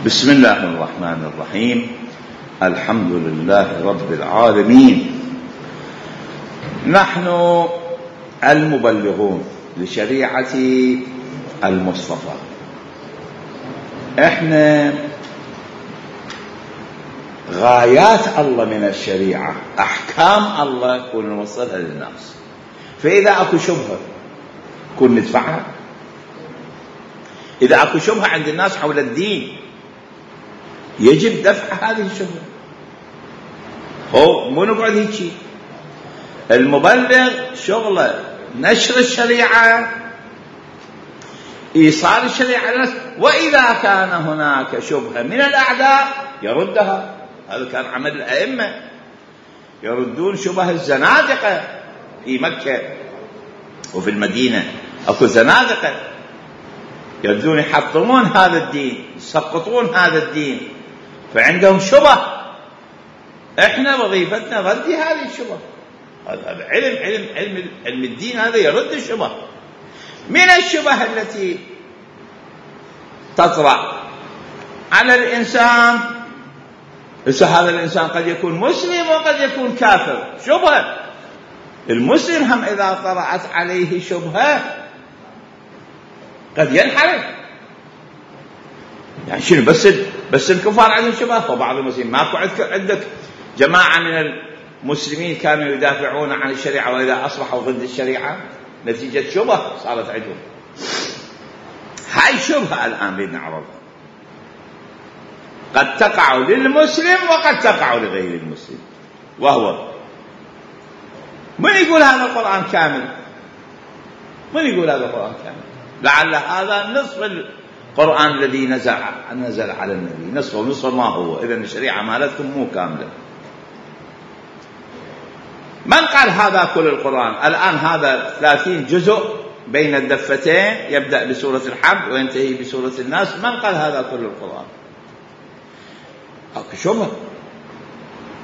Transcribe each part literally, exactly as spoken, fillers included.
بسم الله الرحمن الرحيم. الحمد لله رب العالمين. نحن المبلغون لشريعة المصطفى، احنا غايات الله من الشريعة، احكام الله كون نوصلها للناس. فاذا اكو شبهة كون ندفعها، اذا اكو شبهة عند الناس حول الدين يجب دفع هذه الشبهة. هو مو نقعد هيك. المبلغ شغله نشر الشريعة، إيصال الشريعة للناس، وإذا كان هناك شبهة من الأعداء يردها. هذا كان عمل الأئمة، يردون شبه الزنادقة في مكة وفي المدينة. أكو زنادقة يردون يحطمون هذا الدين، يسقطون هذا الدين، فعندهم شبه. احنا وظيفتنا رد هذه الشبه. هذا علم علم علم علم الدين، هذا يرد الشبه. من الشبه التي تطرأ على الإنسان، هذا الإنسان قد يكون مسلم وقد يكون كافر، شبهة. المسلم هم إذا طرأت عليه شبهة قد ينحرف. يعني شنو؟ بس بس الكفار عندهم شبهة، وبعض المسلمين ماكو عندك جماعة من المسلمين كانوا يدافعون عن الشريعة وإذا أصبحوا ضد الشريعة نتيجة شبهة صارت عندهم. هاي شبهة الآن بدنا نعرضها، قد تقع للمسلم وقد تقع لغير المسلم. وهو من يقول هذا القرآن كامل؟ من يقول هذا القرآن كامل؟ لعل هذا نصف القرآن الذي نزل نزل على النبي، نصف ونصف ما هو. إذن الشريعة مالتكم مو كاملة. من قال هذا كل القرآن؟ الآن هذا ثلاثين جزء بين الدفتين، يبدأ بسورة الحمد وينتهي بسورة الناس. من قال هذا كل القرآن؟ أكو شبهة.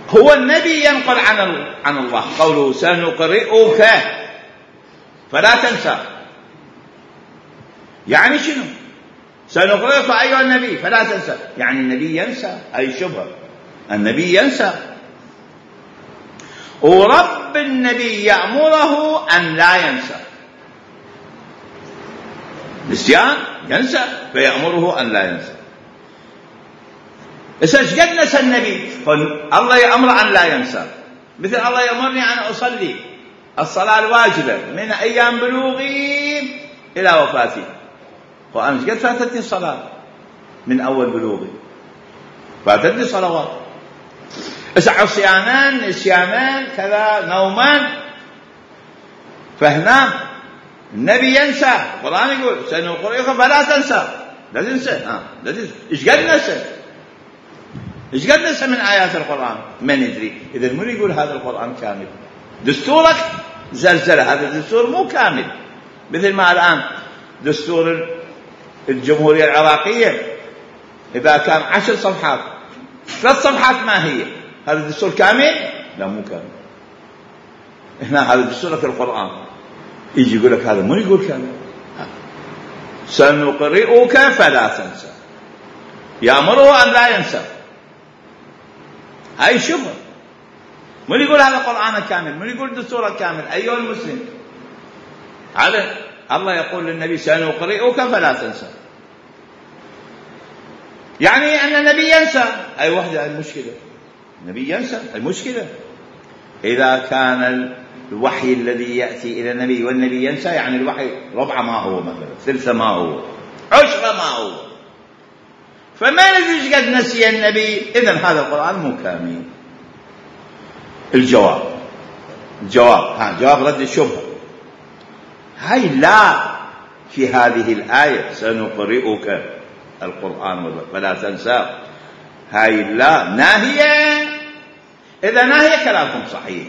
هو النبي ينقل عن عن الله قوله سنقرئك فلا تنسى. يعني شنو؟ سنقرئك أيها النبي فلا تنسى، يعني النبي ينسى؟ أي شبهة. النبي ينسى، ورب النبي يأمره أن لا ينسى. نسيان ينسى، فيأمره أن لا ينسى. إيش قد نسى النبي؟ الله يأمر أن لا ينسى. مثل الله يأمرني أن أصلي الصلاة الواجبة من أيام بلوغي إلى وفاتي، وأنا قد فاتتني الصلاة من أول بلوغي، فاتتني صلوات. عصيانا نسيانا كذا نوما، فهنا النبي ينسى. القرآن يقول سنقرئك فلا تنسى، لا تنسى. آه. لا تنسى. إيش قد نسى؟ إيش قد نسى من آيات القرآن؟ ما ندري. إذا من يقول هذا القرآن كامل؟ دستورك زلزلة، هذا الدستور مو كامل. مثل ما الآن دستور الجمهورية العراقية إذا كان عشر صفحات، ثلاث صفحات ما هي؟ هذا الدستور كامل؟ لا مو كامل. هنا هذا دستورك القرآن، يجي يقول لك هذا مو يقول كامل. سنقرئك فلا تنسى، يأمره أن لا ينسى. هاي شبهة. من يقول هذا القرآن كامل؟ من يقول دستورك كامل؟ أيها المسلم، هذا الله يقول للنبي سنقرئك فلا تنسى، يعني أن النبي ينسى. أي وحدة المشكلة، النبي ينسى المشكلة. إذا كان الوحي الذي يأتي إلى النبي والنبي ينسى، يعني الوحي ربع ما هو، مثلا ثلث ما هو، عشر ما هو. فما ندري قد نسي النبي. إذن هذا القرآن مو كامل. الجواب الجواب ها جواب رد الشبهة. هاي لا في هذه الآية سنقرئك القرآن فلا تنسى، هاي لا ناهية. إذا ناهية كلامكم صحيح،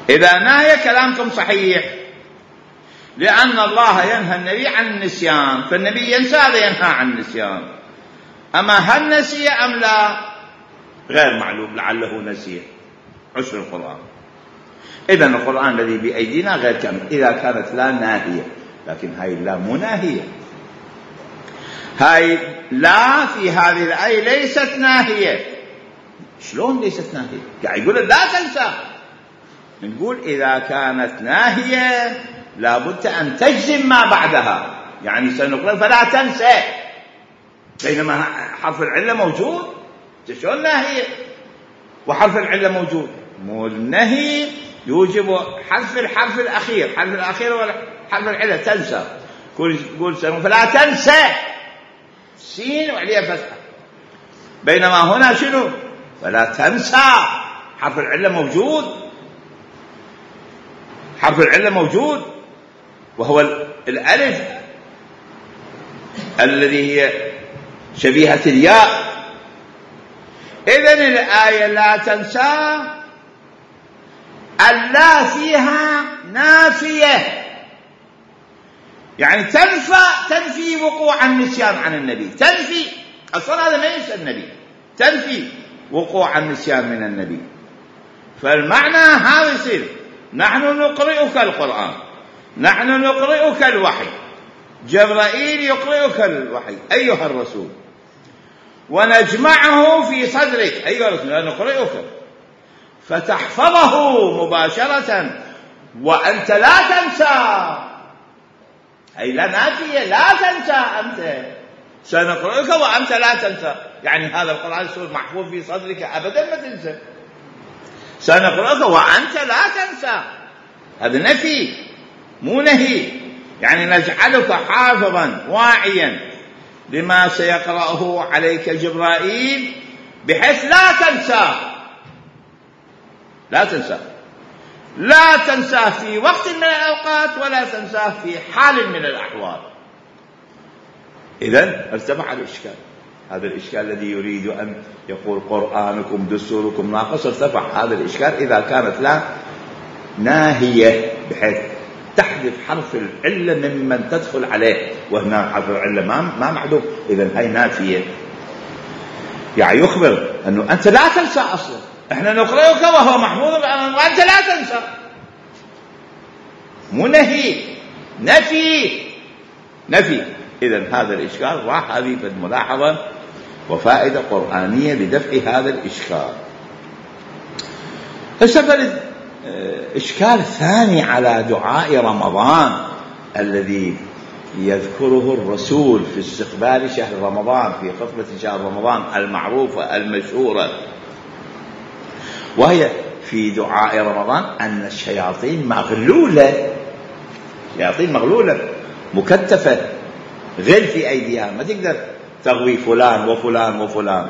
إذا ناهية كلامكم صحيح، لأن الله ينهى النبي عن النسيان، فالنبي ينسى، هذا ينهى عن النسيان. أما هل نسي أم لا غير معلوم، لعله نسي عشر القرآن. إذن القرآن الذي بأيدينا غير كامل إذا كانت لا ناهية، لكن هاي لا مناهية. هاي لا في هذه الآية ليست ناهية. شلون ليست ناهية؟ يعني يقول لا تنسى. نقول إذا كانت ناهية لابد أن تجزم ما بعدها، يعني سنقول فلا تنسى، بينما حرف العلة موجود. شلون ناهية وحرف العلة موجود؟ مو النهي يوجب حذف الحرف الأخير، حرف الأخير ولا حرف العلة تنسى. قول سنقول فلا تنسى سين وعليها فتحة، بينما هنا شنو؟ فلا تنسى حرف العلة موجود، حرف العلة موجود وهو الألف الذي هي شبيهة الياء. إذن الآية لا تنسى اللا فيها نافية، يعني تنفى تنفي وقوع النسيان عن النبي، تنفي أصلا هذا ما ينسى النبي، تنفي وقوع النسيان من النبي. فالمعنى هذا يصير نحن نقرئك القرآن، نحن نقرئك الوحي، جبرائيل يقرئك الوحي أيها الرسول، ونجمعه في صدرك أيها الرسول نقرئك فتحفظه مباشرة وأنت لا تنسى، أي لا نافية لا تنسى، أنت سنقرئك وأنت لا تنسى، يعني هذا القرآن يصير محفوظ في صدرك أبدا ما تنسى، سنقرئك وأنت لا تنسى، هذا نفي مو نهي، يعني نجعلك حافظا واعيا لما سيقرأه عليك جبرائيل بحيث لا تنسى، لا تنسى، لا تنساه في وقت من الأوقات ولا تنساه في حال من الأحوال. إذن ارتفع الإشكال، هذا الإشكال الذي يريد أن يقول قرآنكم دستوركم ناقص، ارتفع هذا الإشكال إذا كانت لا ناهية بحيث تحذف حرف العلة ممن تدخل عليه، وهنا حرف العلة ما ما معدوم، إذن هاي نافية، يعني يخبر أنه أنت لا تنسى أصلا، احنا نقرأك وهو محفوظ وأنت لا تنسى، مو نهي، نفي نفي. إذن هذا الإشكال راح، هذه الملاحظة وفائدة قرآنية لدفع هذا الإشكال. السبب إشكال ثاني على دعاء رمضان الذي يذكره الرسول في استقبال شهر رمضان في خطبة شهر رمضان المعروفة المشهورة، وهي في دعاء رمضان أن الشياطين مغلولة، شياطين مغلولة مكتفة غل في أيديها، ما تقدر تغوي فلان وفلان وفلان.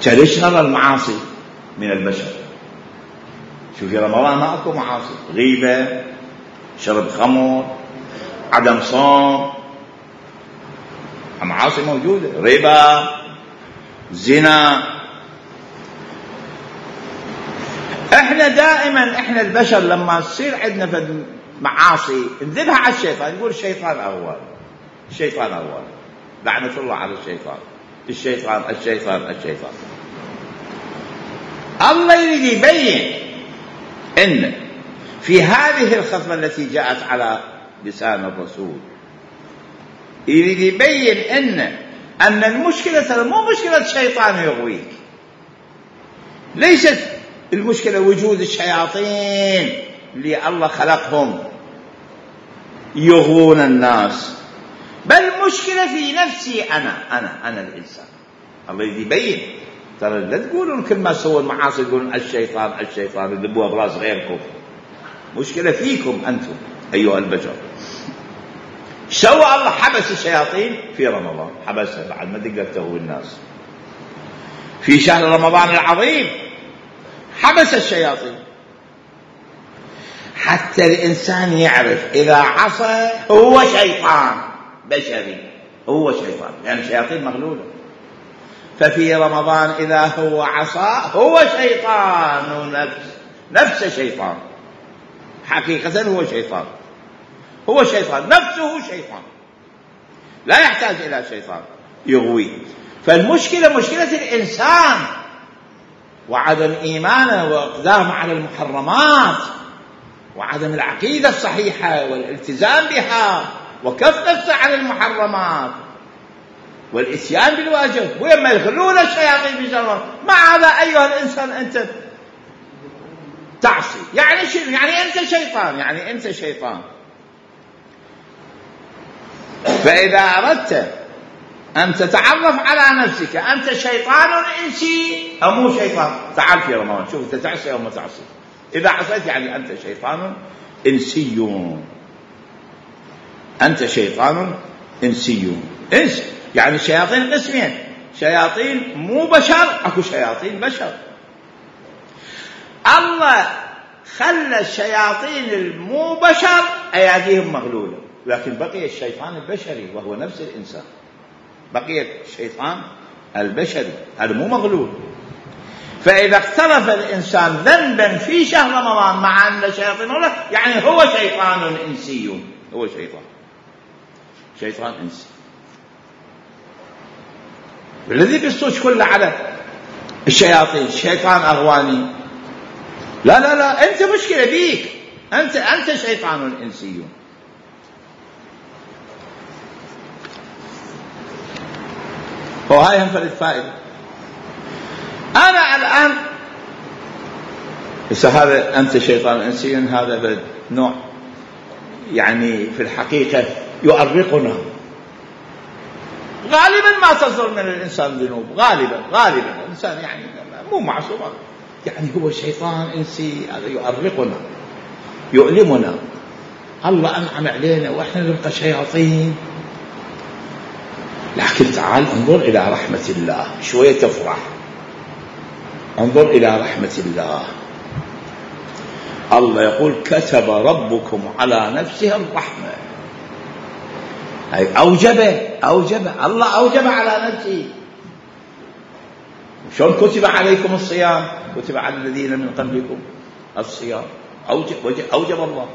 تشغل المعاصي من البشر، شوف في رمضان ما أكو معاصي، غيبة، شرب خمر، عدم صوم، معاصي موجودة، ربا، زنا. احنا دائما احنا البشر لما تصير عندنا فد معاصي نذبها على الشيطان، يقول الشيطان اول، الشيطان اول، لعنة الله على الشيطان، الشيطان الشيطان الشيطان. الله يريد يبين ان في هذه الخطبة التي جاءت على لسان الرسول، يريد يبين ان ان المشكلة مو مشكلة شيطان يغويك، ليست المشكلة وجود الشياطين اللي الله خلقهم يغوون الناس، بل مشكلة في نفسي أنا أنا أنا الإنسان. الله يبين ترى لا تقولون كل ما سووا المعاصي تقولون الشيطان الشيطان يذبوها براس غيركم، مشكلة فيكم أنتم أيها البشر. سوى الله حبس الشياطين في رمضان، حبسها بعد ما تقدر تغوي الناس. في شهر رمضان العظيم حبس الشياطين حتى الإنسان يعرف إذا عصى هو شيطان بشري، هو شيطان، يعني الشياطين مغلولة. ففي رمضان إذا هو عصى هو شيطان نفس نفس شيطان، حقيقة هو شيطان، هو شيطان نفسه شيطان، لا يحتاج إلى شيطان يغوي. فالمشكلة مشكلة الإنسان وعدم إيمانه وإقدامه على المحرمات وعدم العقيدة الصحيحة والالتزام بها وكف نفسه على المحرمات والإتيان بالواجب، ويما يخلون الشياطين في جرهم. مع هذا أيها الإنسان أنت تعصي. يعني شنو؟ يعني أنت شيطان، يعني أنت شيطان. فإذا أردت أن تتعرف على نفسك أنت شيطان إنسي أو مو شيطان، تعال في رمضان شوف أنت تعصي أو ما تعصي. إذا عصيت يعني أنت شيطان إنسي، أنت شيطان إنسي. إنس يعني شياطين قسمين، شياطين مو بشر، أكو شياطين بشر. الله خلى الشياطين المو بشر أيديهم مغلولة، لكن بقي الشيطان البشري وهو نفس الإنسان، بقي الشيطان البشري هذا مو مغلول. فإذا اقترف الإنسان ذنبا في شهر رمضان مع أن الشياطين له، يعني هو شيطان إنسي، هو شيطان شيطان إنسي. الذي بيصوش كله على الشياطين شيطان أغواني، لا لا لا، أنت مشكلة بيك، أنت أنت شيطان إنسي. وهاي هم فرد فائدة. أنا الآن بس هذا أنت شيطان إنسي، هذا نوع يعني في الحقيقة يؤرقنا. غالبا ما تصدر من الإنسان ذنوب، غالبا غالبا الإنسان يعني مو معصوم، يعني هو شيطان إنسي، هذا يؤرقنا يؤلمنا. الله أنعم علينا وإحنا نبقى شياطين. لكن تعال انظر إلى رحمة الله، شوية تفرح. انظر إلى رحمة الله. الله يقول كتب ربكم على نفسه الرحمة، أي أوجب أوجب الله أوجب على نفسه. شلون كتب عليكم الصيام؟ كتب على الذين من قبلكم الصيام، أوجب, أوجب الله.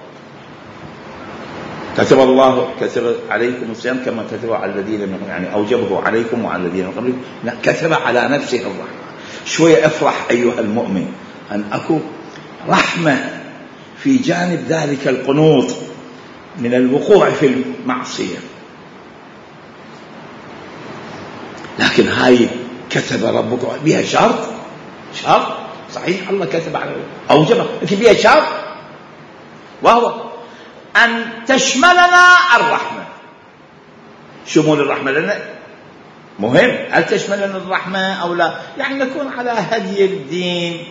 كتب الله كتب عليكم الصيام كما كتب على الذين من، يعني أوجبه عليكم وعلى الذين من قبلكم. لا، كتب على نفسه الرحمة. شوية افرح أيها المؤمن أن أكون رحمة في جانب ذلك القنوط من الوقوع في المعصية. لكن هاي كتب ربك بها شرط، شرط صحيح الله كتب على أوجبه، لكن بها شرط، وهو أن تشملنا الرحمة. شمول الرحمة لنا مهم. هل تشملنا الرحمة أو لا؟ يعني نكون على هدي الدين،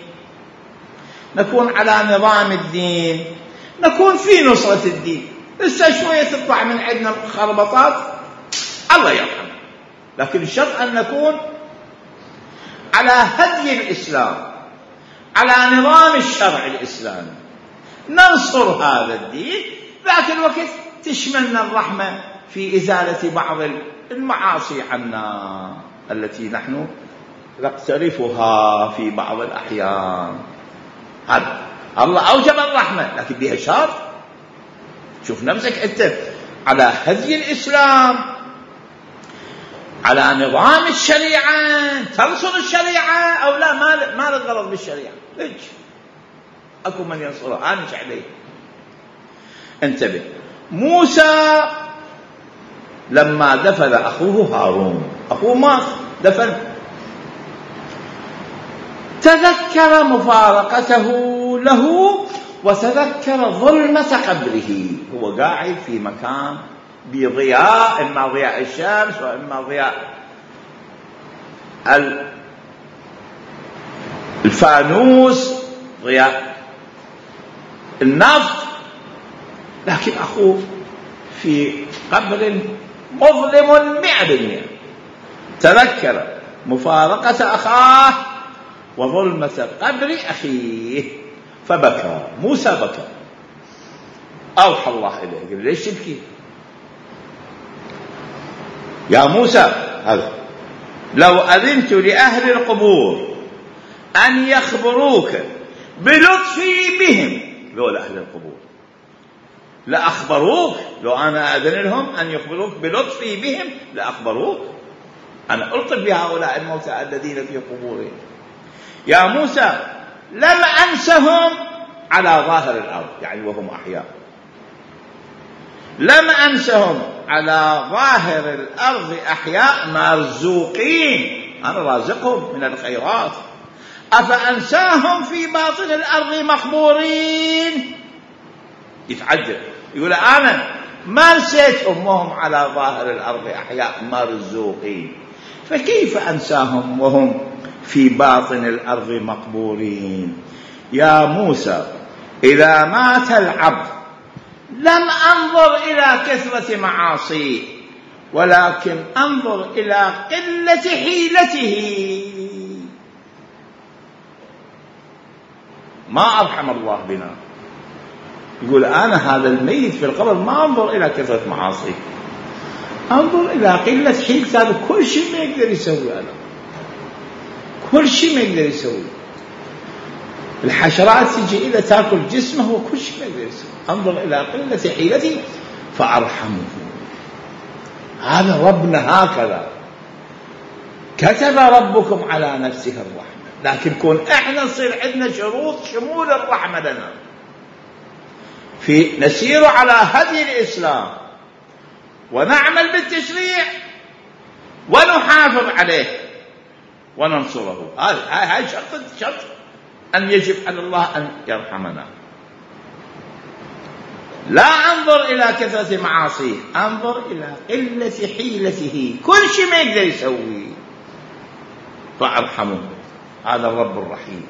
نكون على نظام الدين، نكون في نصرة الدين. لسه شوية تطلع من عندنا خربطات الله يرحمه، لكن الشرط أن نكون على هدي الإسلام، على نظام الشرع الإسلامي، ننصر هذا الدين. ذاك الوقت تشملنا الرحمة في إزالة بعض المعاصي عنا التي نحن نقترفها في بعض الأحيان. هذا الله أوجب الرحمة، لكن بها شرط. شوف نفسك أنت على هدي الإسلام، على نظام الشريعة، تنصر الشريعة أو لا؟ ما ما الغرض بالشريعة؟ ليش أكو من ينصرها؟ أنا مش عليه. انتبه. موسى لما دفن أخوه هارون، أخوه مات دفن، تذكر مفارقته له وتذكر ظلمة قبره. هو قاعد في مكان بضياء، إما ضياء الشمس وإما ضياء الفانوس، ضياء النفط، لكن أخوه في قبر مظلم مئة بالمئة. تذكر مفارقة أخاه وظلمة قبر أخيه فبكى. موسى بكى، أوحى الله إليه قال ليش تبكي يا موسى؟ هذا لو أذنت لأهل القبور أن يخبروك بلطفي بهم، لولا أهل القبور لأخبروك، لو أنا أذن لهم أن يخبروك بلطفي بهم لأخبروك. أنا ألطف بهؤلاء الموتى الذين في قبورهم. يا موسى لم أنسهم على ظاهر الأرض، يعني وهم أحياء، لم أنسهم على ظاهر الأرض أحياء مرزوقين، أنا رازقهم من الخيرات، أفأنساهم في باطن الأرض مقبورين. يتعجب يقول أنا ما نسيتهم وهم على ظاهر الأرض أحياء مرزوقين، فكيف أنساهم وهم في باطن الأرض مقبورين؟ يا موسى إذا مات العبد لم أنظر إلى كثرة معاصيه، ولكن أنظر إلى قلة حيلته. ما أرحم الله بنا. يقول أنا هذا الميت في القبر ما أنظر إلى كثرة معاصيه، أنظر إلى قلة حيلته. هذا كل شيء ما يقدر يسوي، أنا كل شيء ما يقدر يسوي. الحشرات تجي إذا تأكل جسمه وكل شيء ما يقدر يسوي. أنظر إلى قلة حيلته فأرحمه. هذا ربنا هكذا كتب ربكم على نفسه الرحمة، لكن كون احنا نصير عندنا شروط شمول الرحمة لنا، في نسير على هدي الإسلام ونعمل بالتشريع ونحافظ عليه وننصره. هاي هاي شرط شرط أن يجب على الله أن يرحمنا. لا أنظر إلى كثرة معاصيه، أنظر إلى قلة حيلته، كل شيء ما يقدر يسوي فأرحمه. هذا الرب الرحيم.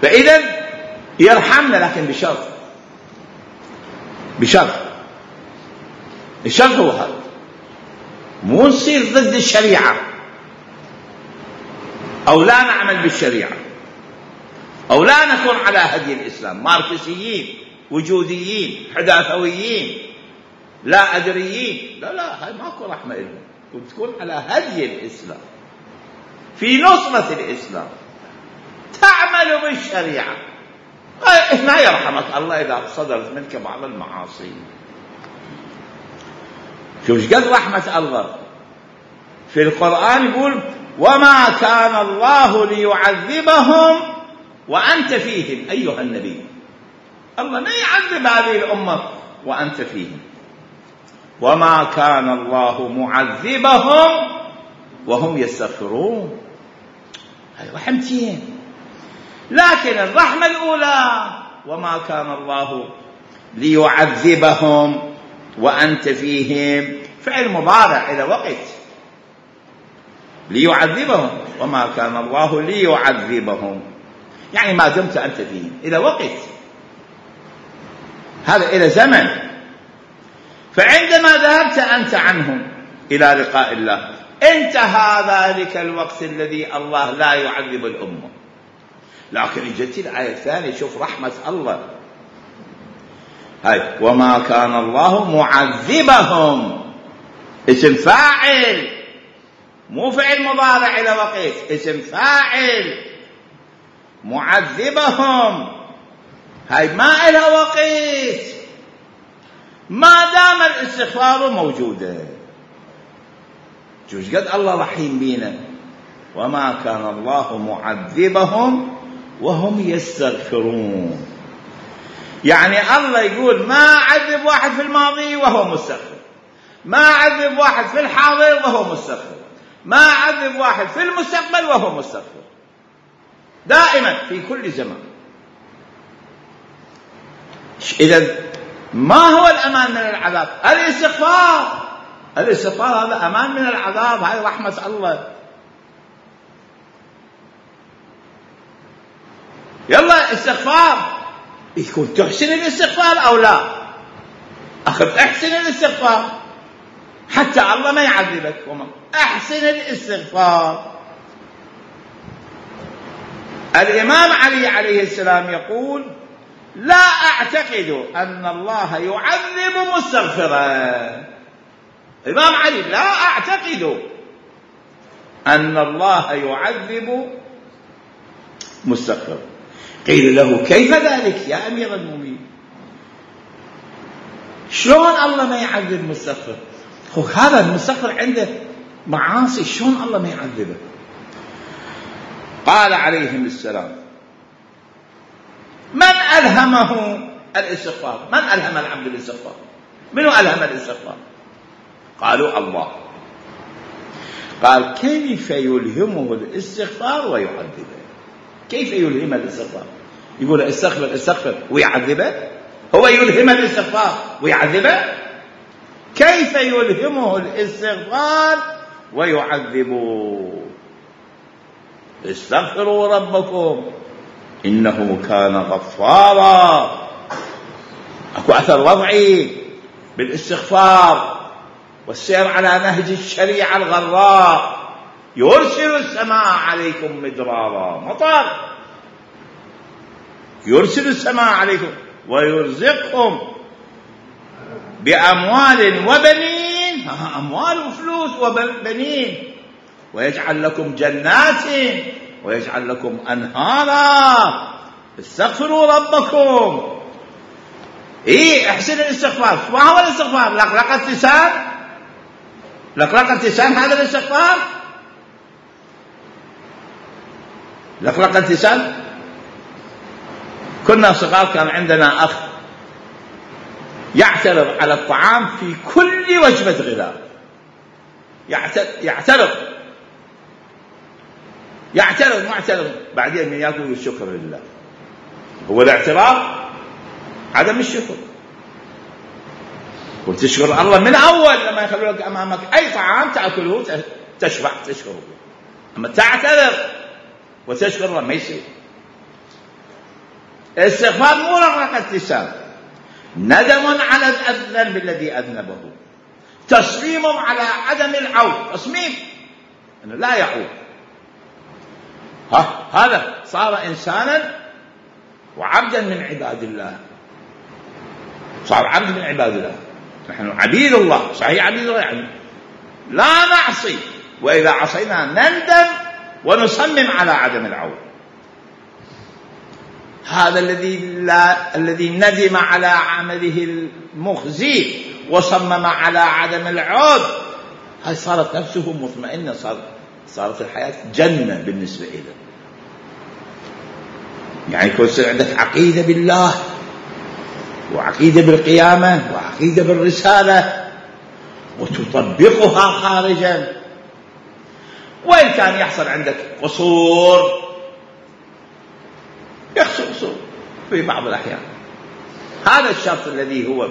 فإذا يرحمنا، لكن بشرط بشرط الشرط هو هذا، مو نصير ضد الشريعة أو لا نعمل بالشريعة أو لا نكون على هدي الإسلام، ماركسيين وجوديين حداثويين لا أدريين. لا لا، هاي ماكو رحمة لهم. تكون على هدي الإسلام في نصرة الإسلام، تعمل بالشريعة، ما يرحمك الله إذا صدرت منك بعض المعاصي. شوف قد رحمة الله في القرآن، يقول وما كان الله ليعذبهم وأنت فيهم أيها النبي. الله ما يعذب هذه الأمة وأنت فيهم. وما كان الله معذبهم وهم يستغفرون. هاي رحمتين. لكن الرحمة الأولى وما كان الله ليعذبهم وأنت فيهم، فعل مضارع إلى وقت. ليعذبهم، وما كان الله ليعذبهم يعني ما دمت أنت فيهم، إلى وقت، هذا إلى زمن. فعندما ذهبت أنت عنهم إلى لقاء الله انتهى ذلك الوقت الذي الله لا يعذب الأمة. لكن جت الآية الثانية، شوف رحمة الله. هاي وما كان الله معذبهم، اسم فاعل مو فعل مضارع إلى وقت، اسم فاعل. معذبهم هاي ما إلى وقت، ما دام الاستغفار موجودا. شوف قد الله رحيم بينا. وما كان الله معذبهم وهم يستغفرون. يعني الله يقول ما عذب واحد في الماضي وهو مستغفر، ما عذب واحد في الحاضر وهو مستغفر، ما عذب واحد في المستقبل وهو مستغفر، دائما في كل زمان. إذا ما هو الأمان من العذاب؟ الاستغفار. الاستغفار هذا أمان من العذاب، هاي رحمة الله. يلا استغفار، يكون تحسن الاستغفار أو لا؟ أخذ أحسن الاستغفار حتى الله ما يعذبك. وما أحسن الاستغفار. الإمام علي عليه السلام يقول لا أعتقد أن الله يعذب مستغفرا. الإمام علي لا أعتقد أن الله يعذب مستغفرا. قيل له كيف ذلك يا أمير المؤمنين؟ شلون الله ما يعذب مستغفر؟ هو هذا المستغفر عنده معاصي، شلون الله ما يعذبه؟ قال عليهم السلام من ألهمه الاستغفار؟ من ألهم العبد الاستغفار؟ منو ألهم الاستغفار؟ قالوا الله. قال كيف يلهمه الاستغفار ويعذبه؟ كيف يلهم الاستغفار؟ يقول استغفر استغفر ويعذبه؟ هو يلهم الاستغفار ويعذبه؟ كيف يلهمه الاستغفار ويعذبه؟ استغفروا ربكم إنه كان غفارا. أكو أثر وضعي بالاستغفار والسير على نهج الشريعة الغراء. يرسل السماء عليكم مدرارا، مطر، يرسل السماء عليكم ويرزقكم بأموال وبنين، أموال وفلوس وبنين، ويجعل لكم جنات ويجعل لكم أنهارا. استغفروا ربكم. إيه احسن الاستغفار. ما هو الاستغفار؟ لقلقة لسان؟ لقلقة لسان هذا الاستغفار؟ لقلقة لسان. كنا صغار كان عندنا أخ يعترض على الطعام في كل وجبة غذاء، يعترض يعترض معترض بعدين من يأكل الشكر لله. هو الاعتراض عدم الشكر. وتشكر الله من أول لما يخلوا لك أمامك أي طعام تأكله تشبع تشكره. أما تعتذر وتشكر الله ما يصير. الاستغفار مو رقة لسان، ندم على الذنب الذي أذنبه، تصميم على عدم العود، تصميم أنه لا يعود. ها هذا صار إنسانا وعبدا من عباد الله، صار عبد من عباد الله. نحن عبيد الله، صحيح عبيد الله، يعني لا نعصي، وإذا عصينا نندم ونصمم على عدم العود. هذا الذي لا الذي ندم على عمله المخزي وصمم على عدم العود، هاي صارت نفسه مطمئنة، صارت صارت الحياة جنة بالنسبة إليه. يعني يكون عندك عقيدة بالله وعقيدة بالقيامة وعقيدة بالرسالة وتطبقها خارجا، وإن كان يحصل عندك قصور، يحصل قصور في بعض الأحيان. هذا الشرط الذي هو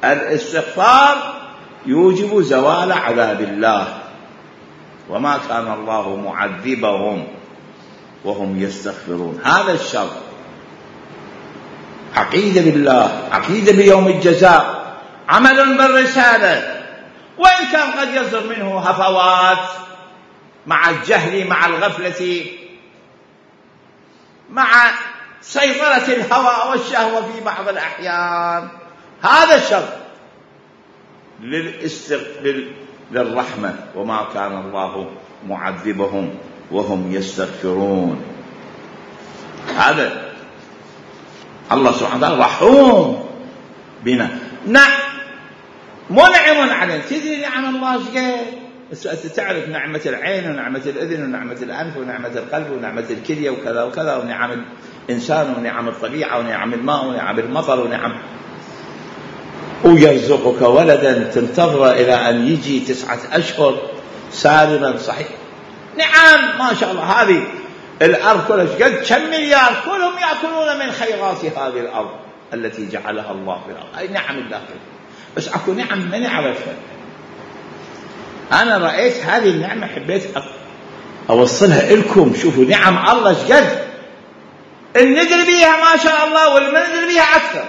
الاستغفار يوجب زوال عذاب الله، وما كان الله معذبهم وهم يستغفرون. هذا الشرط، عقيدة بالله، عقيدة بيوم الجزاء، عمل بالرسالة، وإن كان قد يصدر منه هفوات مع الجهل مع الغفلة مع سيطرة الهوى والشهوة في بعض الأحيان. هذا الشرط للاستغفار للرحمة، وما كان الله معذبهم وهم يستغفرون. هذا الله سبحانه وتعالى رحوم بنا، نعم منعم علينا. تدري نعم الله شقد؟ تعرف نعمة العين ونعمة الأذن ونعمة الأنف ونعمة القلب ونعمة الكلية وكذا وكذا، ونعم الإنسان ونعم الطبيعة ونعم الماء ونعم المطر ونعم، ويرزقك ولدا تنتظر إلى أن يجي تسعة أشهر سالما صحيح. نعم ما شاء الله. هذه الأرض كلها قد كم مليار، كلهم يأكلون من خيرات هذه الأرض التي جعلها الله في الأرض. أي نعم الله، بس أكو نعم ما نعرفها. أنا رأيت هذه النعمة حبيت أوصلها لكم. شوفوا نعم الله شقد ندري بيها ما شاء الله، والما ندري بيها أكثر.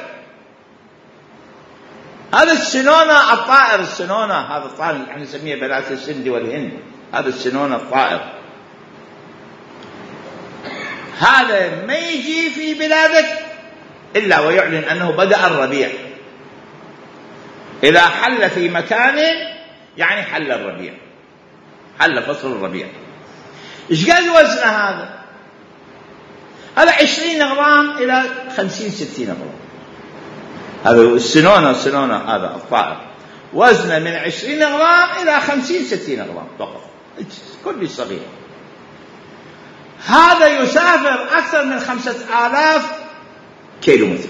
هذا السنونة الطائر، السنونة هذا الطائر نحن نسميه بنات السند والهند، هذا السنونة الطائر، هذا ما يجي في بلادك إلا ويعلن أنه بدأ الربيع. إذا حل في مكان يعني حل الربيع، حل فصل الربيع. إيش قال وزنه هذا؟ هذا عشرين غرام إلى خمسين ستين غرام. هذا السنونة، السنونة هذا الطائر وزنه من عشرين غرام إلى خمسين ستين غرام فقط، كل صغير. هذا يسافر أكثر من خمسة آلاف كيلو متر،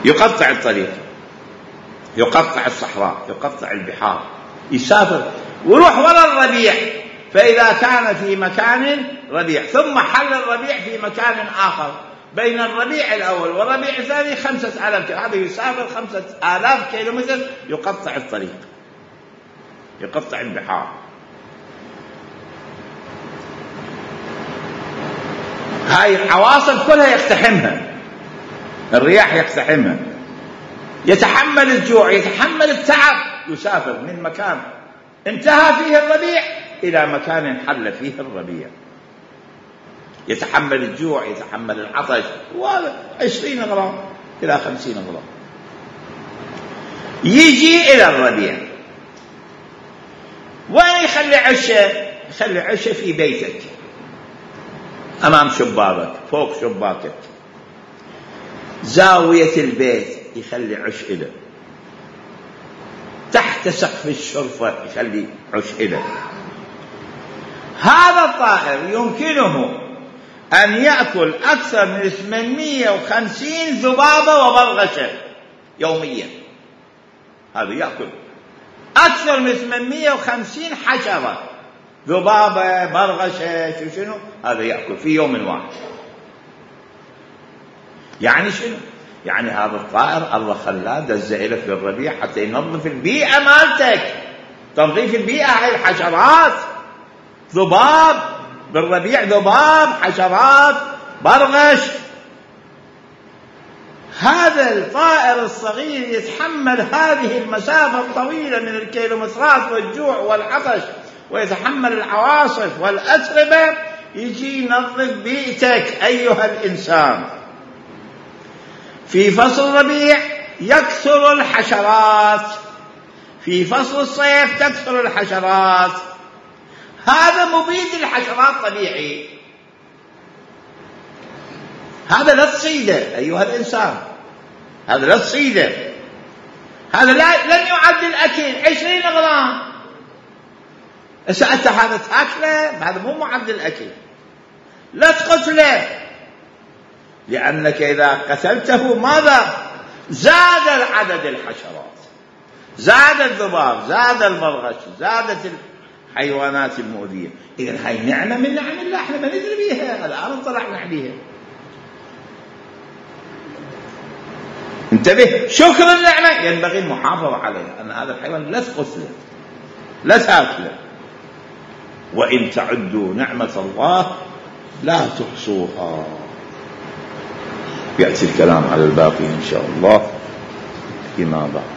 يقطع الطريق يقطع الصحراء، يقطع البحار، يسافر ويروح وراء الربيع. فإذا كان في مكان ربيع ثم حل الربيع في مكان آخر، بين الربيع الأول والربيع الثاني خمسة آلاف كيلو، هذا يسافر خمسة آلاف كيلومتر، يقطع الطريق، يقطع البحار. هاي العواصف كلها يقتحمها، الرياح يقتحمها، يتحمل الجوع، يتحمل التعب، يسافر من مكان انتهى فيه الربيع إلى مكان حل فيه الربيع، يتحمل الجوع، يتحمل العطش، وعشرين غرام إلى خمسين غرام. يجي إلى الربيع، وين يخلي عشه؟ يخلي عشه في بيتك، أمام شباكك، فوق شباكك، زاوية البيت يخلي عش إله، تحت سقف الشرفة يخلي عش إله. هذا الطائر يمكنه أن يأكل أكثر من ثمانمئة وخمسين ذبابة وبرغشة يوميا. هذا يأكل أكثر من ثمانمئة وخمسين حشرة، ذبابة، برغشة، شو شنو، هذا يأكل في يوم واحد. يعني شنو؟ يعني هذا الطائر الله خلاه دزه لك في الربيع حتى ينظف البيئة مالتك. تنظيف البيئة هاي الحشرات، ذباب بالربيع، ذباب، حشرات، برغش. هذا الطائر الصغير يتحمل هذه المسافة الطويلة من الكيلومترات والجوع والعطش، ويتحمل العواصف والأتربة، يجي ينظف بيئتك أيها الإنسان. في فصل الربيع يكثر الحشرات، في فصل الصيف تكثر الحشرات. هذا مبيد الحشرات طبيعي، هذا لا تصيده أيها الإنسان، هذا لا تصيده، هذا لا لن يعد الأكل عشرين غرام. أنت هذا تأكله، هذا مو معد الأكل، لا تقتله، لأنك إذا قتلته ماذا؟ زاد عدد الحشرات، زاد الذباب، زاد البرغش، زادت الحيوانات المؤذية. إذن هاي نعمة من نعم الله، احنا ما ندري بيها، الآن طلعنا عليها. انتبه، شكر النعمة ينبغي المحافظة عليها، أن هذا الحيوان لا تقتله، لا تأكله. وإن تعدوا نعمة الله لا تحصوها. يأتي الكلام على الباقي إن شاء الله فيما بعد.